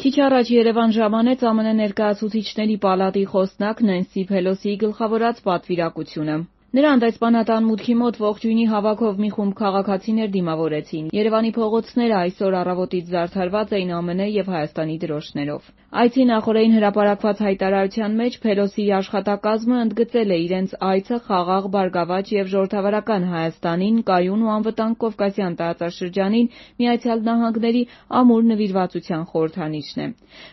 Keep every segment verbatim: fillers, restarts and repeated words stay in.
Քիչ առաջ Երևան ժամանեց ԱՄՆ Ներկայացուցիչների պալատի խոսնակ Նենսի Փելոսիի գլխավորած պատվիրակությունը։ Նրան դեսպանատան մուտքի մոտ ողջույնի հավաքով մի խումբ քաղաքացիներ դիմավորեցին։ Երևանի փողոցները այսօր առավոտից զարդարված էին ԱՄՆ և Հայաստանի դրոշներով։ Այցի նախօրեին հրապարակված հայտարարության մեջ Փելոսիի աշխատակազմը ընդգծել է իրենց այցը խաղաղ, բարգավաճ և ժողովրդավարական Հայաստանին, կայուն ու անվտանգ Կովկասյան տարածաշրջանին, Միացյալ Նահանգների ամուր նվիրվածության խորհրդանիշն է։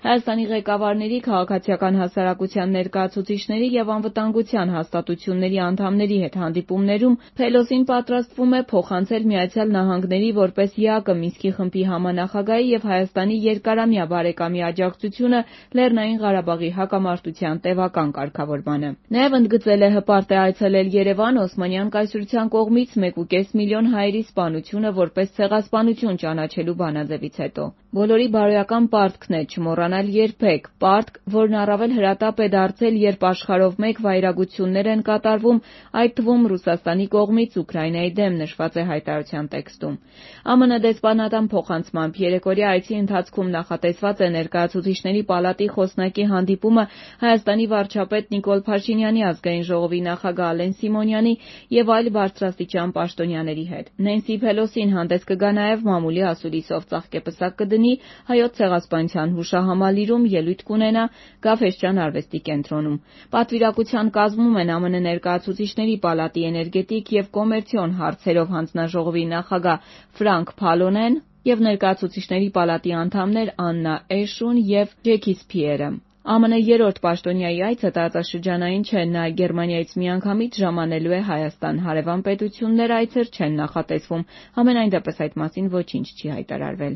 Հայաստանի ղեկավարների, քաղաքացիական հասարակության ներկայացուցիչների և անվտանգության հաստատությունների անդամների հետ հանդիպումներում Փելոսին պատրաստվում է փոխանցել Միացյալ Նահանգների որպես ԵԱԿ Մինսկի խմբի համանախագահի և Հայաստանի երկարամյա բարեկամի աջակցությունը Լեռնային Ղարաբաղի հակամարտության տևական կարգավորմանը։ Նաև ընդգծել է հպարտ է այցելել Երևան Օսմանյան կայսրության կողմից մեկուկես միլիոն հայերի սպանությունը որպես ցեղասպանություն ճանաչելու բանաձևից հետո։ Բոլորի բարոյական պարտքն է չմոռանալ երբեք, պարտք, որն առավել հրատապ է դարձել, երբ աշխարհով մեկ վայրագություններ են կատարվում, այդ թվում Ռուսաստանի կողմից Ուկրաինայի դեմ, նշված է հայտարարության տեքստում։ ԱՄՆ դեսպանատան փոխանցմամբ երեկօրյա այցի ընթացքում նախատեսված է Ներկայացուցիչների պալատի խոսնակի հանդիպումը Հայաստանի վարչապետ Նիկոլ Փաշինյանի, Ազգային ժողովի նախագահ Ալեն Սիմոնյանի և այլ բարձրաստիճան պաշտոնյաների հետ։ Նենսի Փելոսին հանդես կգա նաև մամուլի ասուլիսով, ծաղկեպսակ կդնի Հայոց ցեղասպանության հուշահամալիրում, ելույթ կունենա Գաֆէսճեան արվեստի կենտրոնում։ Պատվիրակության կազմում են ԱՄՆ Ներկայացուցիչների պալատի էներգետիկ և կոմերցիոն հարցերով հանձնաժողովի նախագահ Ֆրանկ Փալոնեն և Ներկայացուցիչների պալատի անդամներ Աննա Էշուն և Ջեքի Սփիերը։ ԱՄՆ երրորդ պաշտոնյայի այցը տարածաշրջանային չէ, նա Գերմանիայից միանգամից ժամանելու է Հայաստան, հարևան պետություններ այցեր չեն նախատեսվում, համենայնդեպս այդ մասին ոչինչ չի հայտարարվել։